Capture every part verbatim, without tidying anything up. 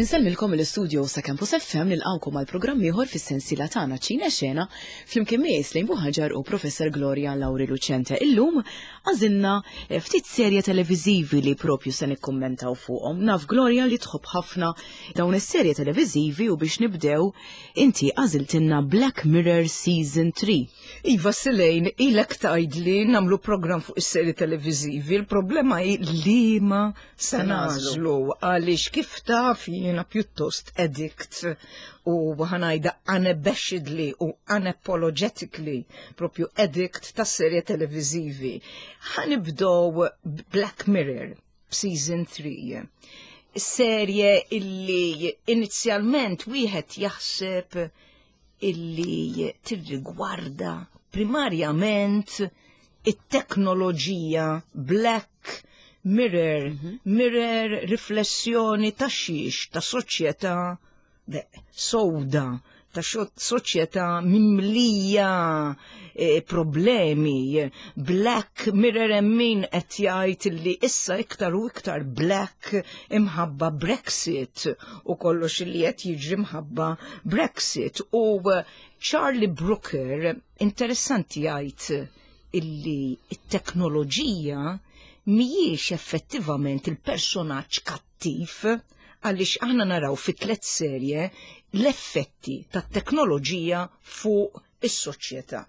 Insellmilkom mill-istudio sa' Campus F M, nilqgħukom għal programm ieħor fis-sensiela tagħna Ċina Xena, flimkien miegħi Slejn Buħaġar u Professor Gloria Lauri Lucente. Illum għażilna eh, ftit serje televiżivi li propju se nikkummentaw fuqhom. Naf, Gloria, li tħobb ħafna dawn is-serje televiżivi u biex nibdew inti għażiltilna Black Mirror Season three. Iva Selejn, ilek tgħidli nagħmlu program fuq is-serji televiżivi, il-problema hi liema se nagħżlu, għaliex kif taf jiena pjuttost addict u ħa ngħidha unabashedly u unapologetically propju addict ta' serje televiżivi. Ħa nibdew Black Mirror Season three. Serje illi inizjalment wieħed jaħseb illi tirrigwarda primarjament it-teknoloġija. Black Mirror, mm -hmm. mirror, riflessjoni ta' xiex, ta' soċjetà sowda, ta' soċjetà mimlija e, problemi. Black Mirror, min qed jgħid li issa iktar u iktar black imħabba Brexit u kollox li qed jiġri mħabba Brexit. U Charlie Brooker interessanti jgħid illi it-teknoloġija mhijiex effettivament il-personaġġ kattiv, għaliex aħna naraw fi tliet serje l-effetti tat-teknoloġija fuq is-soċjetà.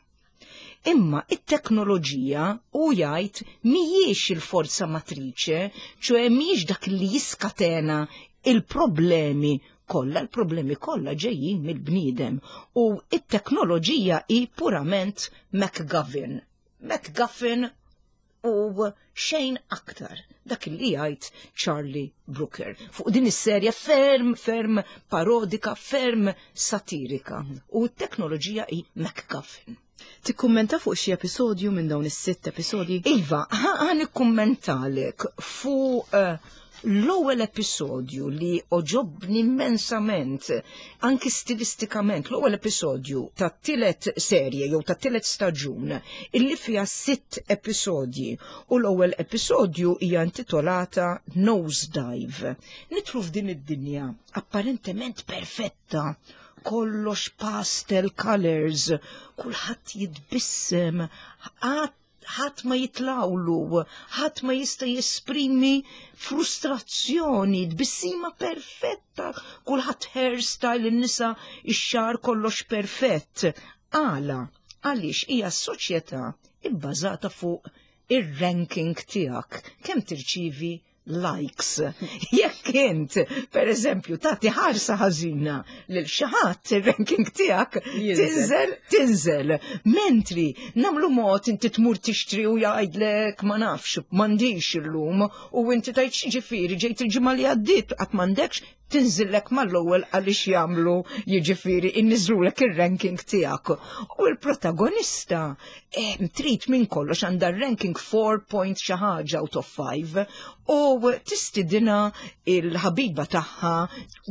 Imma it-teknoloġija, u jgħid, mhijiex il-forza matriċe, ċoè mhijiex dak li jiskatena il-problemi kollha, il-problemi kollha ġejjin mill-bniedem u it-teknoloġija hi purament MacGuffin. MacGuffin u xejn aktar. Dak li jgħid Charlie Brooker fuq din is-serja ferm, ferm parodika, ferm satirika. U t-teknoloġija hi MacGuffin. Tikkummenta fuq xi episodju minn dawn is-sitt episodji? Iva, ħa nikkummentalek fuq uh, l-ewwel episodju li għoġobni immensament, anki stilistikament, l-ewwel episodju ta' tielet serje jew ta' tielet staġun illi fiha sitt episodji u l-ewwel episodju hija intitolata Nosedive. Nidħlu f'din id-dinja apparentement perfetta, kollox pastel colors, kulħadd jitbissem, ħadd ma jitlawlu, ħadd ma jista' jesprimi frustrazzjoni, tbissima perfetta, kulħadd hairstyle, in-nisa ix-xagħar, kollox perfett. Għala, għaliex hija soċjetà ibbażata fuq ir-ranking tiegħek, kemm tirċivi likes. Jekk int, per eżempju, tagħti ħarsa ħażina lil xi ħadd, ir-ranking tiegħek tinżel, tinżel. Mentri nagħmlu mod inti tmur tixtri u jgħidlek, "Ma nafx, m'għandix illum", u inti tgħid, "Ġifieri ġejt il-ġimgħa li għaddiet qatt m'għandekx", tinżillek mal-ewwel għaliex jagħmlu, jiġifieri, inniżlulek ir-ranking tiegħek. U l-protagonista eh, trid minn kollox għandha ranking four point xi ħaġa out of five u tistidina il-ħabiba tagħha,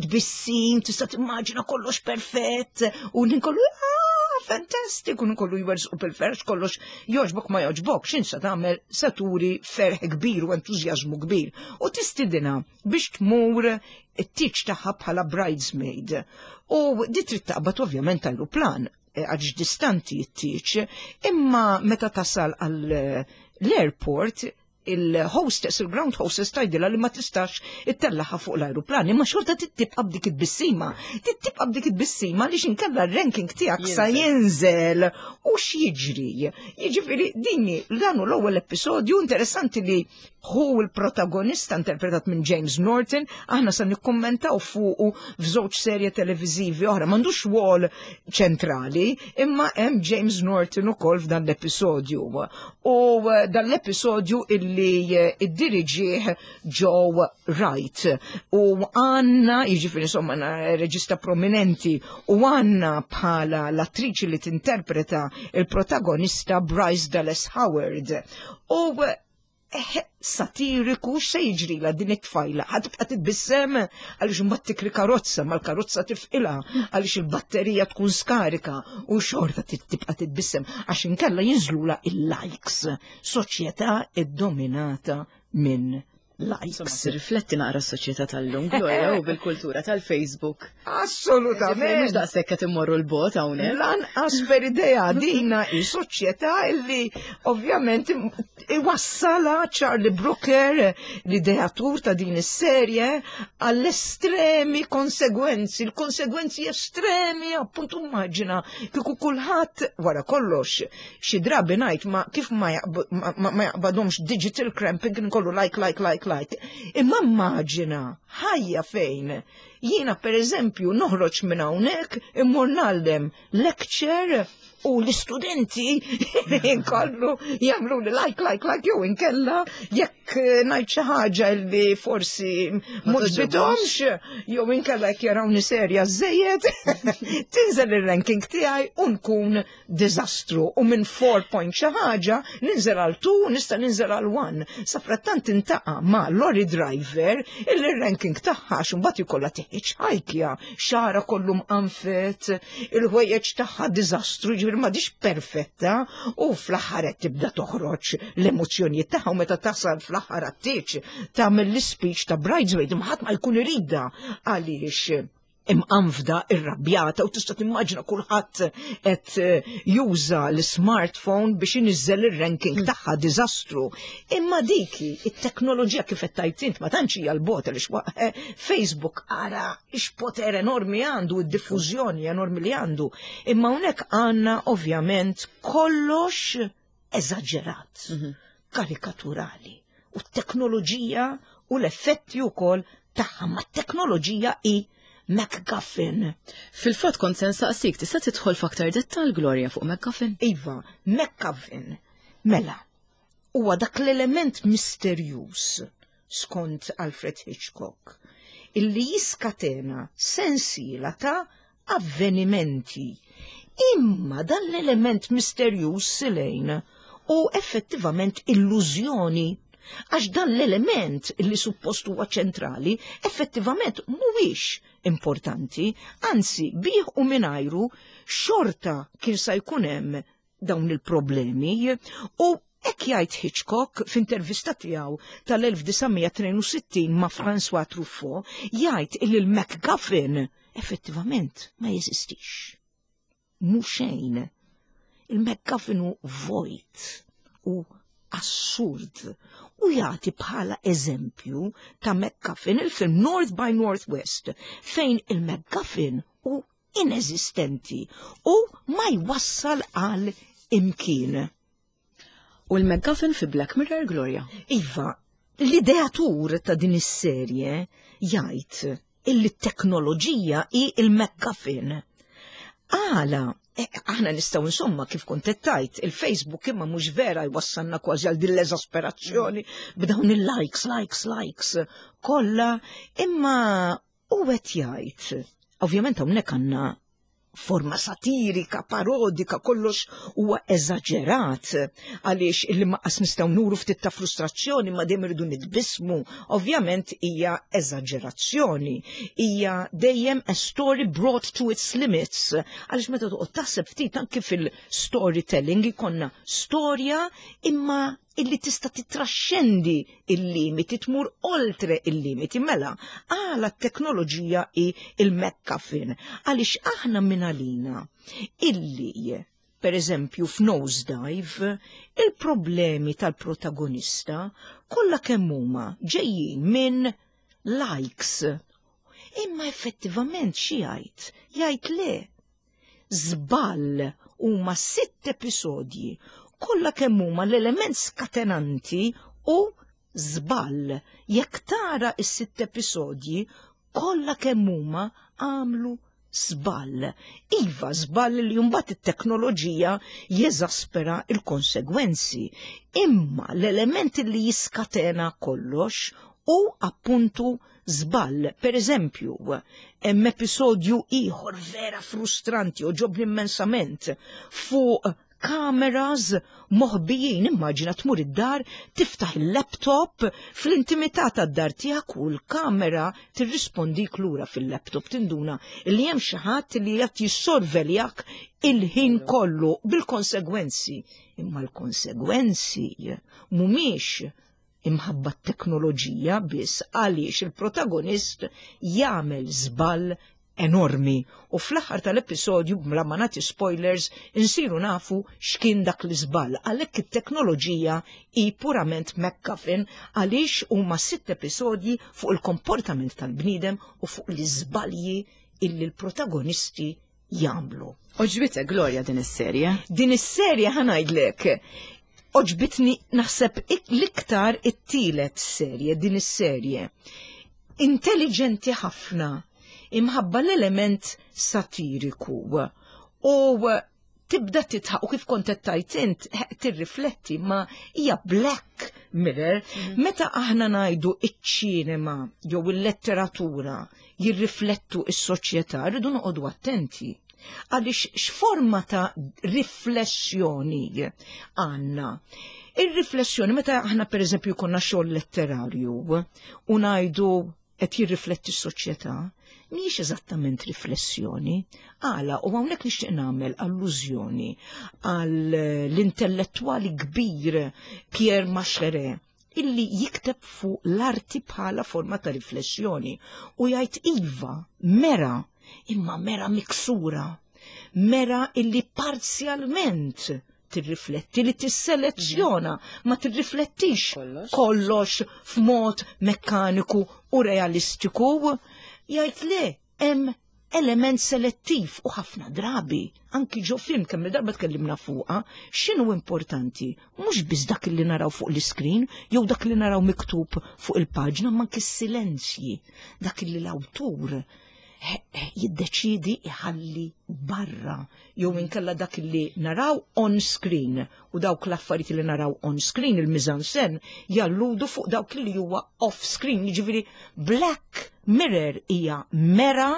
tbissim, tista' timmaġina kollox perfett u kollu, "Ah, fantastic", u kollu jwerżqu bil-ferħ, kollox jogħġbok ma jogħġbok, x'insa tagħmel, se turi ferħ kbir u entużjażmu kbir. U tistidina biex tmur it-tieġ tagħha bħala bridesmaid. U di trid taqbad ovvjament ajruplan eh, għax distanti t-tieġ, imma meta tasal għal l-airport, il-hostess, il-ground hostess tgħidilha li ma tistax ittellagħha fuq l-aeroplan, imma xorta tibqa' b'dik it-tbissima. Tibqa' b'dik it-tbissima li inkella r-ranking tiegħek sa jinżel u x'jiġri. Jiġifieri dini dan hu l-ewwel episodju interessanti li hu l-protagonista interpretat minn James Norton, aħna sa nikkommentaw fuqu f'żewġ serje televiżivi oħra, m'għandux rwol ċentrali, imma hemm James Norton ukoll f'dan l-episodju. U eh, dan l-episodju illi eh, iddiriġih Joe Wright. U għandna, jiġifieri insomma reġista prominenti, u għandna bħala l-attriċi li tinterpreta il-protagonista Bryce Dallas Howard. U eh, satiriku, x'se jiġrilha din it-tfajla? Ħa tibqa' titbissem? Għaliex imbagħad tikri karozza, ma l-karozza tifqilha għaliex il-batterija tkun skarika u xorta tibqa' titbissem għax inkella jinżlula il-likes. Soċjetà iddominata minn Likes. Rifletti naqra s-soċjetà tal-lum, Gloria, u bil-kultura tal-Facebook. Assolutament. Mhux daqshekk qed immorru l-bot hawnhekk. Lanqas per idea. Dina hi soċjetà illi ovvjament iwassala Charlie Brooker, l-ideatur ta' din is-serje, għall-estremi konsegwenzi, l-konsegwenzi estremi, appuntu immaġina kieku kulħadd wara kollox. Xi drabi ngħid ma kif ma jaqbadhomx digital cramping, kollu like, like, like, like. Imma immaġina ħajja fejn jiena, per eżempju, noħroġ minn hawnhekk, immur ngħallem lecture u l-istudenti kollu jagħmlu li like, like, like, jew inkella jekk ngħid xi ħaġa li forsi mhux bidomx, jew inkella jekk jarawni serja żejjed, tinżel ir-ranking tiegħi u nkun diżastru u minn four point xi ħaġa ninżel għal two, nista' ninżel għal one. Sa frattant intaqa' ma' Lori Driver, il-ranking tagħha x'imbagħad ikollha tiħħiċ xagħarha kollu mqanfet, il-ħwejjeġ tagħha diżastru, ġifieri m'għadhiex perfetta, u fl-aħħar qed tibda toħroġ l-emozzjonijiet tagħha u meta tasal fl-aħħar għat-tieġ tagħmel l-speech ta' bridesmaid, ħadd ma jkun iridha għaliex imqanfda, irrabjata, u tista' timmaġina kulħadd qed eh, juża l-smartphone biex iniżżel ir-ranking tagħha, diżastru. Imma diki it-teknoloġija, kif qed tajt int, ma tantx hija l-bot għaliex eh, Facebook ara x'poter enormi għandu, id-diffużjoni enormi li għandu. Imma hawnhekk għandna ovvjament kollox eżaġerat, karikaturali. U t-teknoloġija u l-effetti wkoll tagħha, ma t-teknoloġija i MacGuffin. Fil-fatt kont se nsaqsik, tista' tidħol f'aktar dettal, Gloria, fuq MacGuffin? Iva, MacGuffin. Mela, huwa dak l-element misterjuż, skont Alfred Hitchcock, illi jiskatena sensiela ta' avvenimenti. Imma dan l-element misterjuż silejn u effettivament illużjoni, għax dan l-element li suppost huwa ċentrali effettivament mhuwiex importanti, anzi bih u mingħajru xorta kien sa jkun hemm dawn il-problemi. U hekk jgħid Hitchcock f'intervista tiegħu tal-elf disa' mija tnejn u sittin ma' François Truffaut, jgħid illi l-MacGuffin effettivament ma jeżistix. Mhu xejn. Il-MacGuffin hu vojt u assurd u jagħti bħala eżempju ta' MacGuffin il-film North by Northwest, fejn il-MacGuffin hu ineżistenti u ma jwassal għal imkien. U l-MacGuffin fi Black Mirror, Gloria? Iva, l-ideatur ta' din is-serje jgħid illi t-teknoloġija hi il-MacGuffin. Għala, eh, aħna nistgħu insomma, kif kont tajt, il-Facebook imma mhux vera jwassalna kważi għal din l-eżasperazzjoni b'dawn il-likes, likes, likes kollha, imma u qed jgħid, ovvjament hawnhekk għandna forma satirika, parodika, kollox huwa eżaġerat għaliex illi maqas nistgħu nuru ftit ta' frustrazzjoni, ma dejjem irridu nitbismu. Ovvjament hija eżaġerazzjoni, hija dejjem a story brought to its limits. Għaliex meta toqgħod taħseb ftit, anke fil-storytelling ikonna storja imma illi tista' titraxxendi il-limiti, tmur oltre il-limiti. Mela, għala t-teknoloġija i il-MacGuffin? Għaliex aħna minn għalina illi, per eżempju, f'Nosedive, il-problemi tal-protagonista kollha kemm huma ġejjin minn likes. Imma effettivament xi jgħid? Jgħid le. Żball, huma sitt episodji kollha kemm huma l-element skatenanti u żball. Jekk tara is-sitt episodji, kollha kemm huma għamlu żball. Iva, żball li mbagħad it-teknoloġija jeżaspera il-konsegwenzi. Imma l-element li jiskatena kollox u appuntu żball. Per eżempju, hemm episodju ieħor vera frustranti u għoġobni immensament fuq kameras moħbijin. Immaġina tmur id-dar, tiftaħ il-laptop fl-intimità tad-dar tiegħek u l-kamera tirrispondik lura fil-laptop, tinduna li hemm xi ħadd li qed jissorveljak il-ħin kollu bil-konsegwenzi. Imma l-konsegwenzi mhumiex Imħabba t-teknoloġija biss, għaliex il-protagonist jagħmel żball enormi u fl-aħħar tal-episodju, bla ma nagħti spoilers, insiru nafu x'kien dak l-iżball. Għalhekk it-teknoloġija hi purament MacGuffin, għaliex huma sitt episodji fuq il-komportament tal-bniedem u fuq l-iżbalji illi l-protagonisti jagħmlu. Għoġbitek, Gloria, din is-serje? Din is-serje, ħa ngħidlek, għoġbitni naħseb l-iktar it-tielet serje, din is-serje. Intelligenti ħafna, imħabba l-element satiriku. U tibda titħaq u kif kont tajt int tirrifletti, ma hija Black Mirror. Mhm. Meta aħna ngħidu iċ-ċinema jew il-letteratura jirriflettu is-soċjetà, rridu noqogħdu attenti. Għaliex x'forma ta' riflessjoni għandna? Ir-riflessjoni, meta aħna per eżempju konna xogħol letterarju u ngħidu qed jirrifletti s-soċjetà, mhijiex eżattament riflessjoni. Għala, u hawnhekk nixtieq nagħmel allużjoni għal l-intellettwali kbir Pierre Macherey, illi jikteb fuq l-arti bħala forma ta' riflessjoni u jgħid: iva, mera, imma mera miksura, mera illi parzjalment tirrifletti, li tisselezzjona, ma tirriflettix kollox, kollox f'mod mekkaniku u realistiku. Jgħid le, hemm element selettiv u ħafna drabi, anki ġo film, kemm darba tkellimna fuqha, x'inhu importanti, mhux biss dak li naraw fuq l-iskrin jew dak li naraw miktub fuq il-paġna, ma anki s-silenzji, dak li l-awtur jiddeċidi iħalli barra jew inkella dak li naraw on screen, u dawk l-affarijiet li naraw on screen, il-mise-en-scène, jalludu fuq dawk li huwa off screen. Jiġifieri Black Mirror hija mera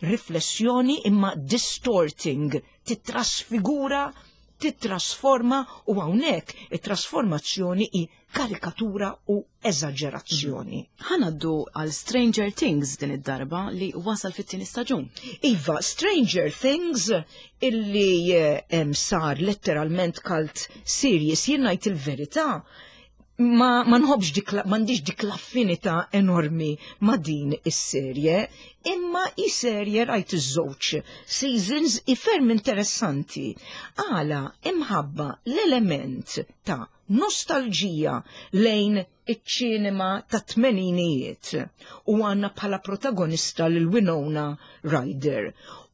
riflessjoni imma distorting, titrasfigura, titrasforma, u hawnhekk it-trasformazzjoni hi karikatura u eżaġerazzjoni. Ħa ngħaddu għal Stranger Things din id-darba, li wasal fit-tieni staġun. Iva, Stranger Things illi eh, sar letteralment cult series, jien ngħid il-verità, ma, ma nħobbx dik, m'għandix dik l-affinità enormi ma din is-serje, imma i serje rajt iż-żewġ seasons, i ferm interessanti. Għala, imħabba l-element ta' nostalġija lejn iċ-ċinema ta' tmeninijiet u għandna bħala protagonista lil Winona Ryder.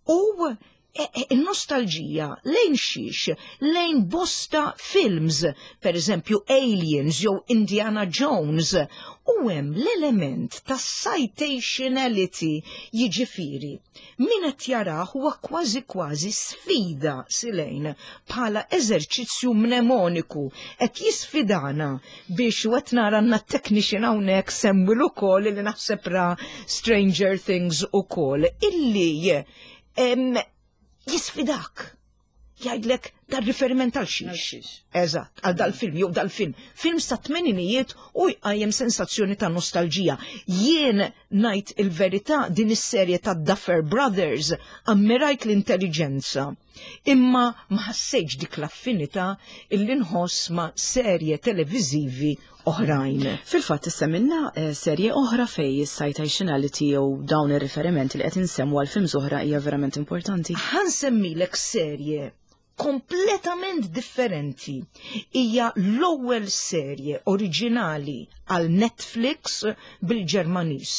U e, e, il-nostalġija lejn xiex? Lejn bosta films, per eżempju Aliens jew Indiana Jones, u hemm l-element ta' citationality, jiġifieri min qed jarah huwa kważi kważi sfida silejn bħala eżerċizzju mnemoniku, qed jisfidana biex, u qed nara għandna technician hawnhekk Samuel ukoll li naħseb ra Stranger Things ukoll, illi em, jisfidak. Jgħidlek dar riferiment għal xiex. Eżatt, għal dal-film, jew dal-film. Film sa' tmeninijiet u jqajjem sensazzjoni ta' nostalġija. Jien ngħid il-verità, din is-serje ta' Duffer Brothers ammirajt l-intelligenza. Imma ma ħassejtx dik l-affinità illi nħoss ma' serje televiżivi oħrajn. Fil-fatt issemmilna eh, serje oħra fej is-citationality jew dawn ir-riferimenti li qed insemmu għal films oħra hija verament importanti. Ħa nsemmilek serje kompletament differenti. Hija l-ewwel serje oriġinali għal Netflix bil-Ġermaniż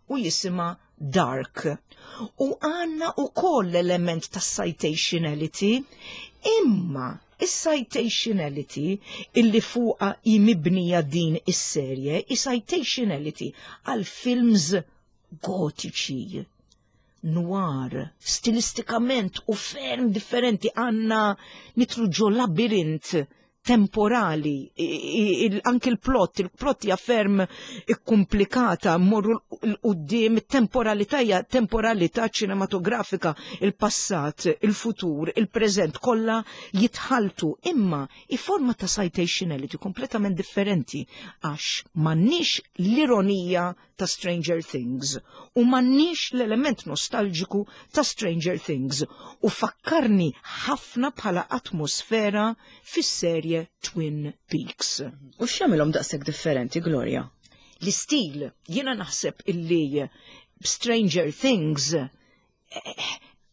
u jisimha Dark. U għandna ukoll l-element ta' citationality, imma is-citationality illi fuqa mibnija din is-serje, is-citationality għal films gotiċi, noir, stilistikament u ferm differenti, għandna nidħlu ġo labirint temporali, anki il-plot, il-plot hija ferm ikkumplikata, morru l-qoddim, temporalità hija temporalità ċinematografika, il-passat, il-futur, il-preżent, kollha jitħaltu, imma i forma ta' citationality kompletament differenti, għax m'għandniex l-ironija ta' Stranger Things u m'għandniex l-element nostalġiku ta' Stranger Things u fakkarni ħafna bħala atmosfera fis-serje tas-serje Twin Peaks. U x'jagħmilhom daqshekk differenti, Gloria? L-istil, jiena naħseb illi Stranger Things eh,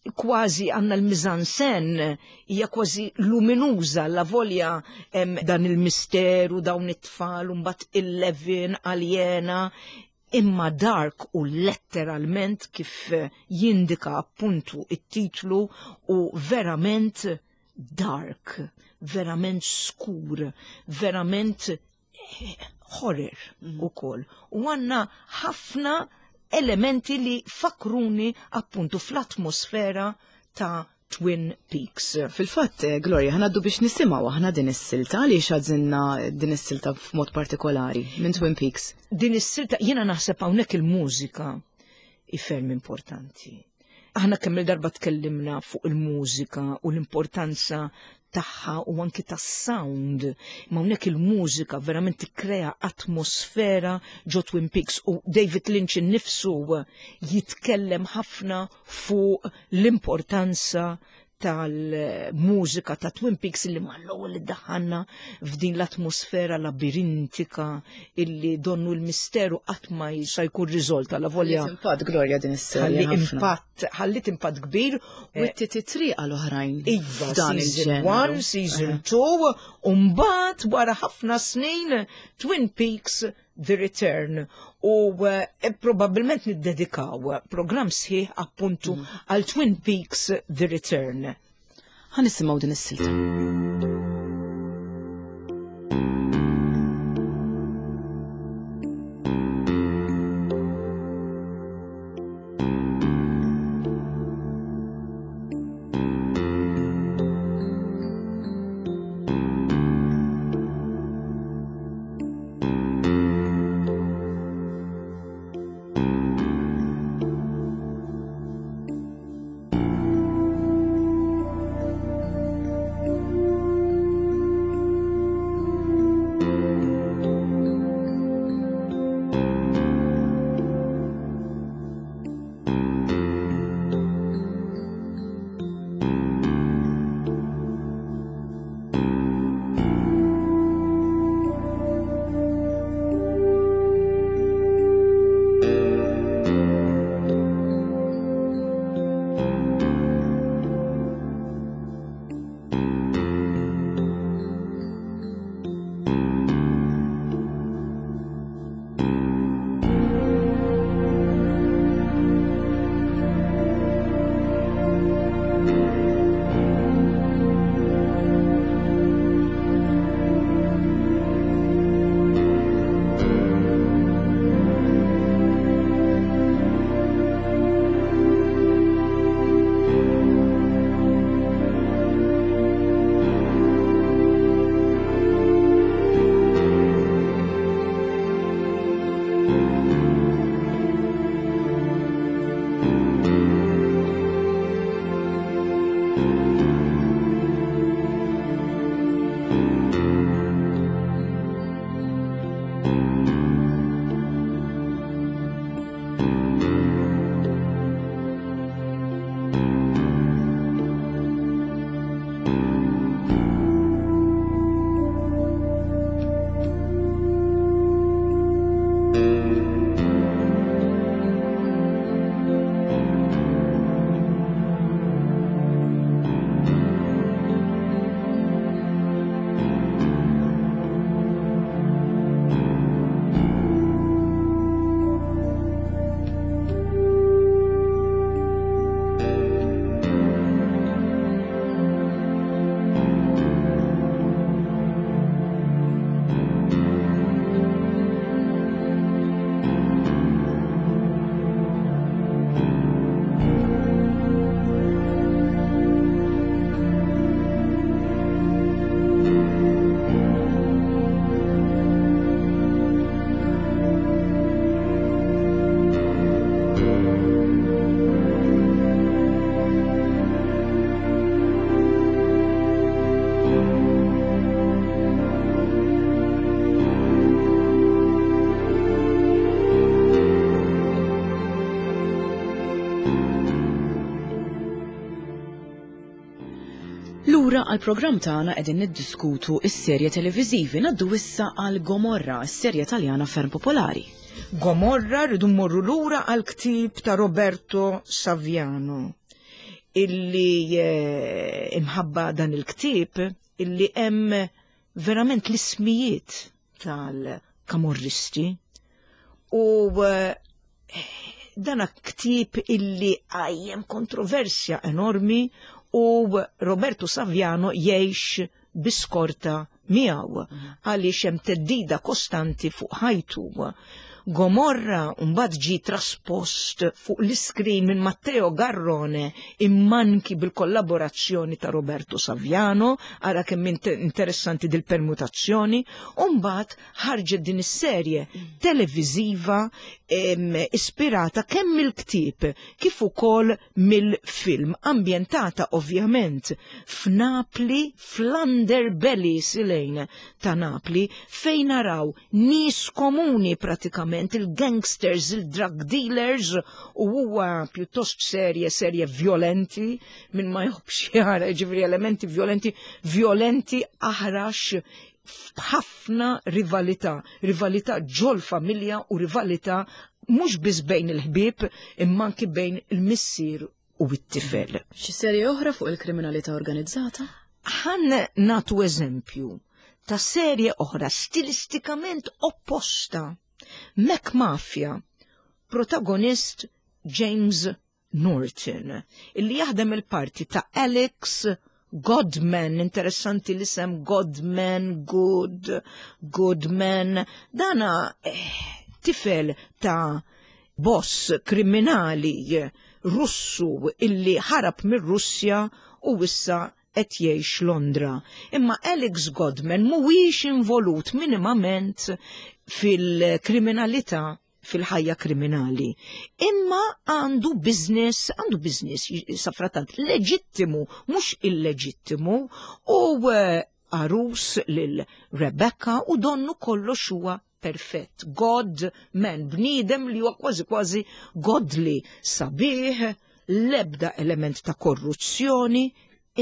kważi għandna l-mise-en-scène hija kważi luminuża la volja em, dan il-misteru dawn it-tfal u mbagħad Eleven aljena imma Dark u letteralment kif eh, jindika appuntu it-titlu u verament dark, verament skur, verament eh, horror mm. ukoll. U għandna ħafna elementi li fakruni appuntu fl-atmosfera ta' Twin Peaks. Fil-fatt, eh, Gloria, ħa ngħaddu biex nisimgħu aħna din is-silta, għaliex għażilna din is-silta f'mod partikolari minn Twin Peaks. Din is-silta jiena naħseb hawnhekk il-mużika hi ferm importanti. Aħna kemm il-darba tkellimna fuq il-mużika u l-importanza tagħha u anki tas-sound. Ma hawnhekk il-mużika verament tikkrea atmosfera ġo Twin Peaks u David Lynch innifsu jitkellem ħafna fuq l-importanza tal-mużika ta' Twin Peaks illi mal-ewwel li daħħalna f'din l-atmosfera labirintika illi donnu l-misteru qatt ma sa jkun riżolta la volja. Impatt Gloria din is-serje. Ħalli impatt, ħallit impatt kbir. U t-titri għal oħrajn. Iva, season one, season two, u mbagħad wara ħafna snin Twin Peaks The Return u eh, probabbilment niddedikaw program sħiħ appuntu mm. għal Twin Peaks The Return. Ħa nisimgħu din is-silta. Lura għal programm tagħna, qegħdin niddiskutu is-serje televiżivi. Ngħaddu issa għal Gomorra, is-serje Taljana ferm popolari. Gomorra, rridu mmorru lura għal ktib ta' Roberto Saviano, illi eh, imħabba dan il-ktib illi hemm verament l-ismijiet tal-kamorristi u eh, dana ktib illi qajjem kontroversja enormi u Roberto Saviano jgħix bi skorta miegħu għaliex hemm theddida kostanti fuq ħajtu. Gomorra mbagħad ġi traspost fuq l-iskrin minn Matteo Garrone, imma anki bil-kollaborazzjoni ta' Roberto Saviano, ara kemm interessanti dil-permutazzjoni, u mbagħad ħarġet din is-serje televiżiva ispirata kemm mill-ktieb kif ukoll mill-film, ambjentata ovvjament f'Napli, fl-underbelly silejn ta' Napli, fejn naraw nies komuni pratikament, il-gangsters, il-drug dealers, u huwa pjuttost serje, serje violenti, minn ma jħobbx jara, ġifieri elementi violenti, violenti aħrax, ħafna rivalità, rivalità ġol familja u rivalità mhux biss bejn il-ħbieb imma anki bejn il-missier u t-tifel. Xi serje oħra fuq il-kriminalità organizzata? Ħa nagħtu eżempju ta' serje oħra stilistikament opposta. McMafia, protagonist James Norton, illi jaħdem il-parti ta' Alex Godman, interessanti l-isem Godman, Good, Goodman, dana eh, tifel ta' boss kriminali Russu illi ħarab mir-Russja u issa qed jgħix Londra. Imma Alex Godman mhuwiex involut minimament fil-kriminalità, fil-ħajja kriminali. Imma għandu business, għandu business safratant leġittimu, mhux illeġittimu, u eh, għarus lil Rebecca u donnu kollox huwa perfett. God man, bniedem li huwa kważi kważi godly, sabiħ, lebda element ta' korruzzjoni,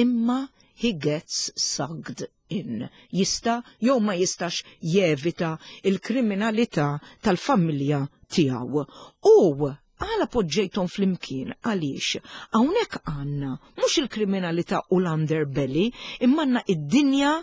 imma he gets sucked in. Jista' jew ma jistax jevita il-kriminalità tal-familja tiegħu. U għala poġġejthom flimkien? Għaliex hawnhekk għandna mhux il-kriminalità u l-underbelly, imma għandna id-dinja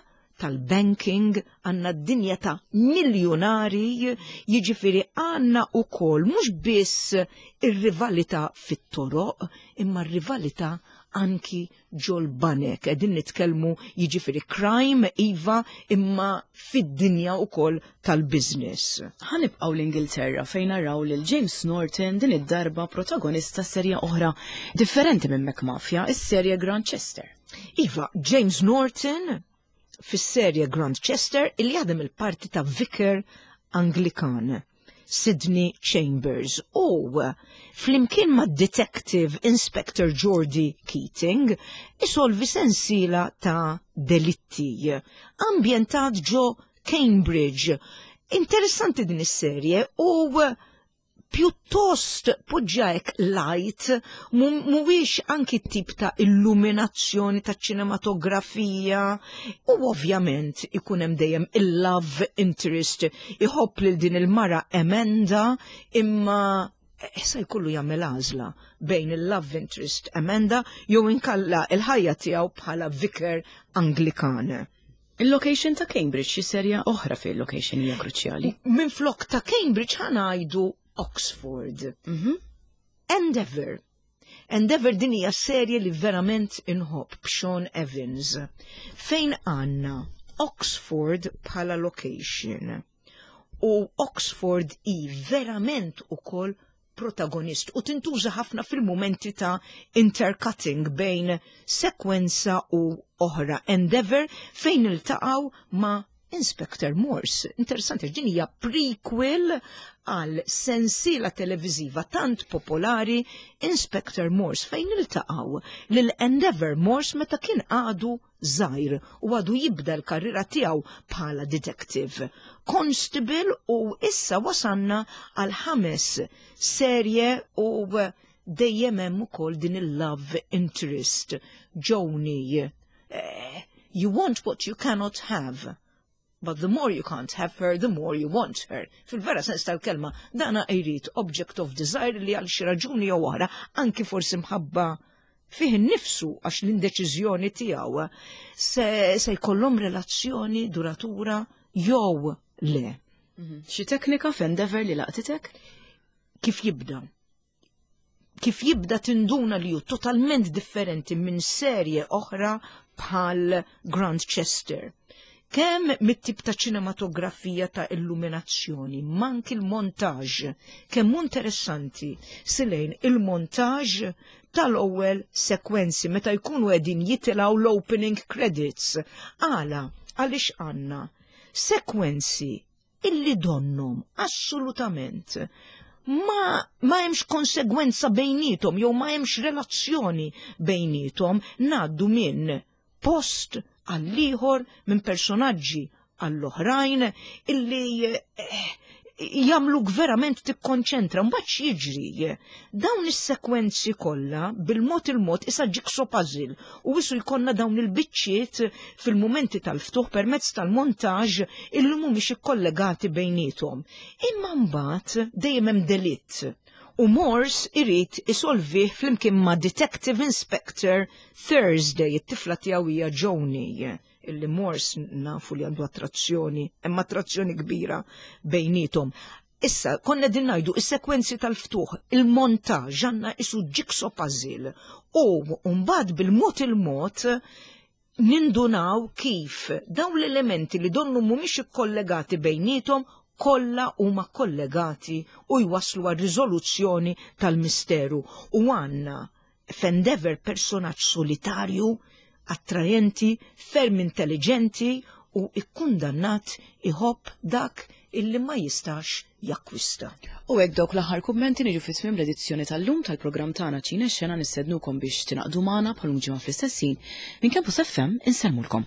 tal-banking, għandna d-dinja ta' miljonari, jiġifieri għandna ukoll mhux biss ir-rivalità fit-toroq, imma r-rivalità anki ġol-banek. Qegħdin nitkellmu jiġifieri crime, iva, imma fid-dinja ukoll tal-business. Ħa nibqgħu l-Ingilterra, fejn naraw lil James Norton din id-darba protagonista serja oħra differenti minn McMafia, is-serje Grantchester. Iva, James Norton fis-serje Grantchester, illi jaħdem il-parti ta' vicar Anglikan, Sidney Chambers, u flimkien ma' Detective Inspector Geordie Keating isolvi sensila ta' delitti ambjentat ġo Cambridge. Interessanti din is-serje u pjuttost poġġajk light, mhuwiex anki tip ta' illuminazzjoni ta' ċinematografija, u ovvjament ikun hemm dejjem il-love interest, iħobb lil din il-mara Amanda, imma issa jkollu jagħmel għażla bejn il-love interest Amanda jew inkella il-ħajja tiegħu bħala vicar Anglikan. Il-location ta' Cambridge, xi serja oħra fil location hija kruċjali. Minn flok ta' Cambridge ħa ngħidu Oxford. Mhm. Endeavour. Endeavour din hija serje li verament inħobb b'Sean Evans. Fejn għandna Oxford bħala location. U Oxford i verament ukoll protagonist u tintuża ħafna fil-momenti ta' intercutting bejn sekwenza u oħra. Endeavour fejn iltaqgħu ma' Inspector Morse. Interessanti, din hija prequel għal sensiela televiziva tant popolari Inspector Morse, fejn iltaqgħu lil Endeavour Morse meta kien għadu żgħir u għadu jibda l-karriera tiegħu bħala detective constable, u issa wasanna għal ħames serje u dejjem hemm ukoll din il-love interest Joni. Eh, you want what you cannot have. But the more you can't have her, the more you want her. Fil-vera sens tal-kelma, dana jrid object of desire li għal xi raġuni jew oħra, anki forsi mħabba fih innifsu għax l-indeċiżjoni tiegħu se, se jkollhom relazzjoni duratura jew le. Mhm. Xi teknika f'Endeavour li laqtitek? Kif jibda? Kif jibda tinduna li hu totalment differenti minn serje oħra bħal Grantchester. Kemm mit-tip ta' ċinematografija, ta' illuminazzjoni, manki il-montaġ, kemm interessanti silejn il-montaġ tal-ewwel sekwenzi meta jkunu qegħdin jitilgħu l-opening credits. Għala, għaliex għandna sekwenzi illi donnhom assolutament ma, ma hemmx konsegwenza bejnietom jew ma hemmx relazzjoni bejnietom, ngħaddu minn post għall-ieħor, minn personaġġi għall-oħrajn illi eh, jagħmluk verament tikkonċentra. Mbagħad jiġri, dawn is-sekwenzi kollha bil-mod il-mod issa jigsaw puzzle u wissu jkollna dawn il-biċċiet fil-mumenti tal-ftuħ permezz tal-montaġ illi mhumiex ikkollegati bejnietom. Imma mbagħad dejjem hemm delitt u Morse irid isolvih flimkien ma' Detective Inspector Thursday, it-tifla tiegħu hija Joni, illi Morse nafu li għandu attrazzjoni, hemm attrazzjoni kbira bejnietom. Issa, konna din ngħidu, is-sekwenzi tal-ftuħ, il-montaġ, għandna isu jigsaw puzzle u mbagħad bil-mod il-mod nindunaw kif dawn l-elementi li donnu mhumiex ikkollegati bejnietom kollha huma kollegati u jwaslu għal riżoluzzjoni tal-misteru. U għandna f'Endeavour personaġġ solitarju, attrajenti, ferm intelligenti u ikkundannat iħobb dak illi ma jistax jakkwista. U hekk dawk l-aħħar kummenti niġu fi tmiem l-edizzjoni tal-lum tal-programm tagħna Ċine Xena. Nistednukom biex tingħaqdu magħna bħal ġimgħa fl-istess ħin. Minn Campus F M insellmulkom.